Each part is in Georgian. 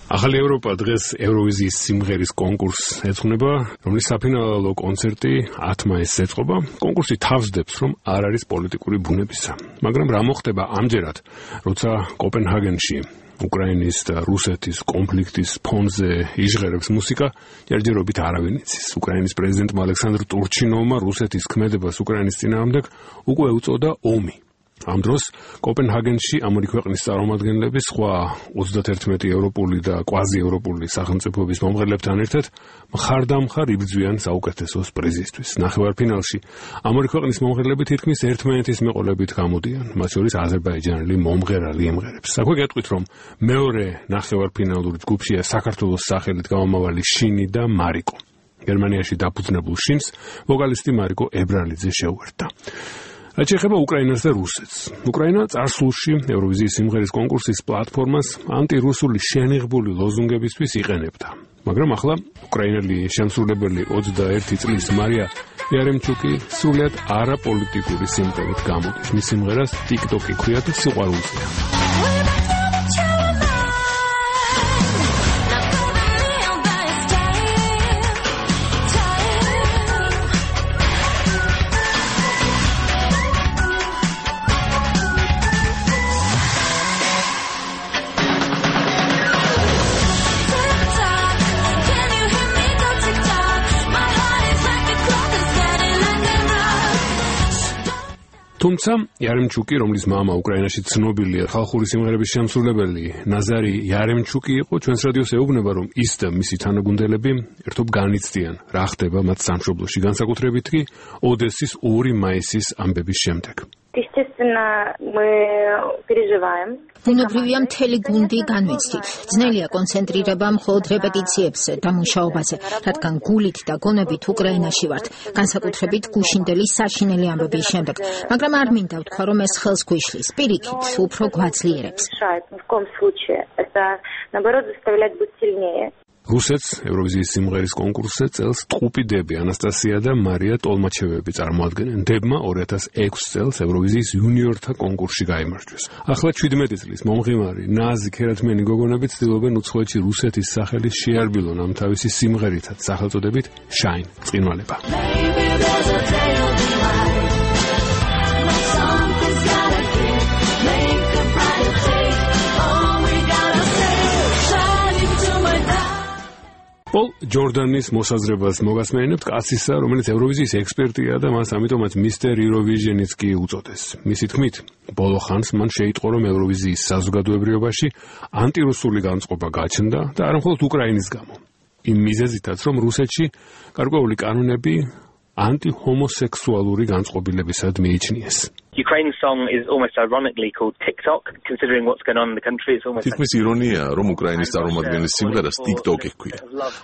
ახალი ევროპა დღეს ევროვიზიის სიმღერის კონკურსს ეძღვნება, რომლის საფინალო კონცერტი 10 მაისს ეწყობა. კონკურსი თავსდებს, რომ არ არის პოლიტიკური ბუნებისა. მაგრამ რა მოხდება ამჯერად, როცა კოპენჰაგენში უკრაინის და რუსეთის კონფლიქტის ფონზე იჟღერებს მუსიკა, ჯერჯერობით არავინ იცის. უკრაინის პრეზიდენტმა ალექსანდრ ტურჩინოვმა რუსეთის ქმედებას უკრაინის წინააღმდეგ უკვე უწოდა ომი. ამ დროს კოპენჰაგენში ამ ორი ქვეყნის წარმომადგენლები სხვა 31 ევროპული და კვაზიევროპული სახელმწიფოების მომღერლებთან ერთად მხარდამხარ იბრძვიან საუკეთესოს პრიზისთვის. ნახევარფინალში ამ ორი ქვეყნის მომღერლები თითქმის ერთმანეთის მეყოლებით გამოდიან, მათ შორის აზერბაიჯანელი მომღერალი იმღერებს. აქვე გეტყვით, რომ მეორე ნახევარფინალური ჯგუფშია საქართველოს სახელით გამომავალი შინი და მარიკო. გერმანიაში დაფუძნებულ შინს ვოკალისტი მარიკო ებრალიძე შეუერთდა. რაც ეხება უკრაინას და რუსეთს. უკრაინა წარსულში ევროვიზიის სიმღერის კონკურსის პლატფორმას ანტირუსული შენიღბული ლოზუნგებისთვის იყენებდა. მაგრამ ახლა უკრაინელი შემსრულებელი 21 წლის მარია იარემჩუკი სრულიად არაპოლიტიკური სიმღერით გამოდის. მის სიმღერას TikTok-ი ქვია და სიყვარულზეა. თუმცა იარემჩუკი, რომლის მამა უკრაინაში ცნობილია ხალხური სიმღერების შემსრულებელი ნაზარი იარემჩუკი იყო, ჩვენს რადიოს ეუბნება, რომ ის და მისი თანაგუნდელები ერთობ განიცდიან, რა ხდება მათ სამშობლოში, განსაკუთრებით კი ოდესის 2 მაისის ამბების შემდეგ. ბუნებრივია მთელი გუნდი განვიცდით. ძნელია კონცენტრირება მხოლოდ რეპეტიციებზე და მუშაობაზე, რადგან გულით და გონებით უკრაინაში ვართ, განსაკუთრებით გუშინდელი საშინელი ამბების შემდეგ. მაგრამ არ მინდა ვთქვა, რომ ეს ხელს გვიშლის, პირიქით, უფრო გვაძლიერებს. რუსეთს ევროვიზიის სიმღერის კონკურსზე წელს ტყუპიდები ანასტასია და მარია ტოლმაჩევები წარმოადგენენ. დებმა 2006 წელს ევროვიზიის იუნიორთა კონკურსში გაიმარჯვეს. ახლა 17 წლის მომღიმარი ნაზი ქერათმენი გოგონები ცდილობენ უცხოეთში რუსეთის სახელის შეარბილონ ამ თავისი სიმღერითაც სახელწოდებით Shine წყინვალება. პოლ ჯორდანის მოსაზრებას მოგასმენებთ კაცისა, რომელიც ევროვიზიის ექსპერტია და მას ამიტომაც მისტერ იუროვიჟენიც კი უწოდეს. მისი თქმით, ბოლო ხანს მან შეიტყო, რომ ევროვიზიის საზოგადოებრიობაში ანტირუსული განწყობა გაჩნდა და არა მხოლოდ უკრაინის გამო. იმ მიზეზითაც, რომ რუსეთში გარკვეული კანონები ანტihomosexualuri განწყობილებისად მიიჩნიეს. Ukraine's song is almost ironically called TikTok, considering what's going on in the country. It's almost თითქმის ირონია, რომ უკრაინის წარმომადგენლის სიმღერას TikTok-ი ჰქვია.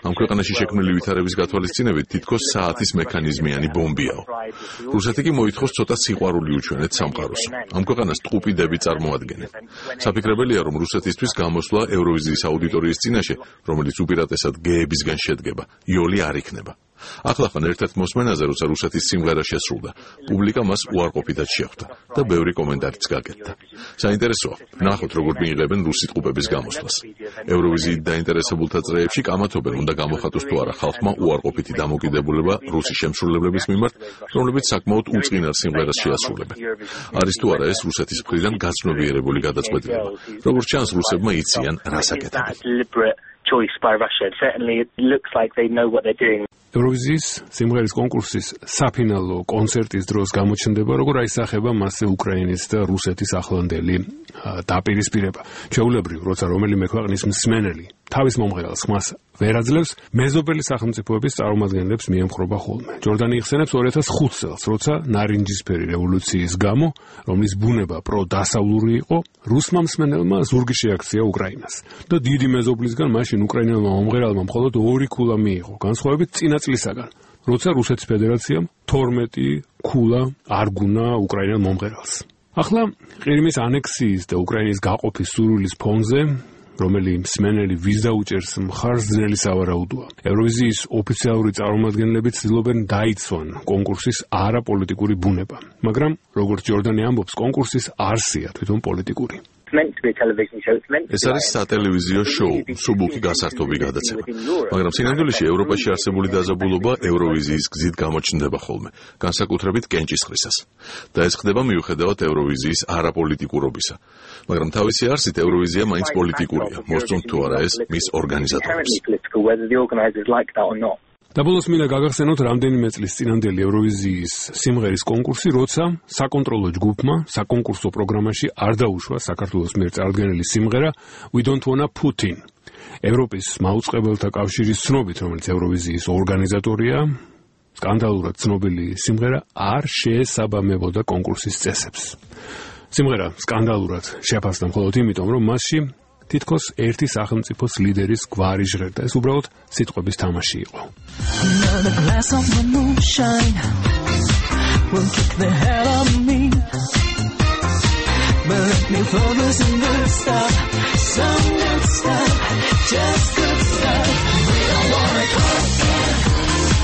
ამ ქვეყანაში შექმნილი ვითარების გათვალისწინებით თითქოს საათის მექანიზმიანი ბომბიაო. რუსეთი კი მოითხოვს ცოტა სიყვარული უჩვენეთ სამყაროს. ამ ქვეყანას ტყუპიდები წარმოადგენენ. საფიქრებელია, რომ რუსეთისთვის გამოსვლა ევროვიზიის აუდიტორიის წინაშე, რომელიც უპირატესად გეებისგან შედგება, იოლი არ იქნება. ახლახან ერთ-ერთ მოსმენაზე, როცა რუსეთის სიმღერა შესრულდა, პუბლიკა მას უარყოფითად შეხვდა და ბევრი კომენტარიც გაკეთდა. საინტერესოა, ნახოთ როგორ მიიღებენ რუსი ტყუპების გამოსვლას. ევროვიზიით დაინტერესებულთა წრეებში კამათობენ, უნდა გამოხატოს თუ არა ხალხმა უარყოფითი დამოკიდებულება რუსი შემსრულებლების მიმართ, რომლებიც საკმაოდ უწყინარ სიმღერას შეასრულებენ. არის თუ არა ეს რუსეთის მხრიდან გაცნობიერებული გადაწყვეტილება. როგორც ჩანს, რუსებმა იციან, რას აკეთებენ. choice by Russia. Certainly it looks like they know what they're doing. ევროვიზიის სიმღერის კონკურსის საფინალო კონცერტის დროს გამოჩნდება, როგორ აისახება მასზე უკრაინის და რუსეთის ახლანდელი დაპირისპირება. ჩვეულებრივ, როცა რომელიმე ქვეყნის მსმენელი თავის მომღერალს ხმას ვერ აძლევს, მეზობელი სახელმწიფოების წარმომადგენლებს მიემხრობა ხოლმე. ჯორდანი იხსენებს 2005 წელს, როცა ნარინჯისფერი რევოლუციის გამო, რომლის ბუნება პროდასავლური იყო, რუსმა მსმენელმა ზურგი შეაქცია უკრაინას. და დიდი მეზობლისგან მაშინ უკრაინელმა მომღერალმა მხოლოდ 2 ქულა მიიღო, განსხვავებით წინა წლისაგან, როცა რუსეთის ფედერაციამ 12 ქულა არ გუნა უკრაინელ მომღერალს. ახლა ყირიმის ანექსიის და უკრაინის გაყოფის სურვილის ფონზე, რომელიც მსმენელი ვის დაუჭერს მხარს, ძნელი სავარაუდოა. ევროვიზიის ოფიციალური წარმომადგენლები ცდილობენ დაიცვან კონკურსის არაპოლიტიკური ბუნება, მაგრამ როგორც ჯორდანი ამბობს, კონკურსის არსია თვითონ პოლიტიკური. meant to be a television show. It's meant to be. ეს არის სატელევიზიო შოუ, მსუბუქი გასართობი გადაცემა. მაგრამ სინამდვილეში ევროპაში არსებული დაძაბულობა ევროვიზიის გზით გამოჩნდება ხოლმე, განსაკუთრებით კენჭისყრისას. და ეს ხდება მიუხედავად ევროვიზიის არაპოლიტიკურობისა. მაგრამ თავისი არსით ევროვიზია მაინც პოლიტიკურია, მოსწონთ თუ არა ეს მის ორგანიზატორებს. და ბოლოს მინდა გაგახსენოთ რამდენიმე წლის წინანდელი ევროვიზიის სიმღერის კონკურსი, როცა საკონტროლო ჯგუფმა საკონკურსო პროგრამაში არ დაუშვა საქართველოს მიერ წარდგენილი სიმღერა We Don't Wanna Putin. ევროპის მაუწყებელთა კავშირის ცნობით, რომელიც ევროვიზიის ორგანიზატორია, სკანდალურად ცნობილი სიმღერა არ შეესაბამებოდა კონკურსის წესებს. სიმღერა სკანდალურად შეფასდა მხოლოდ იმიტომ, რომ მასში თითქოს ერთი სახელმწიფოს ლიდერის გვარი ჟღერდა. ეს უბრალოდ სიტყვების თამაში იყო.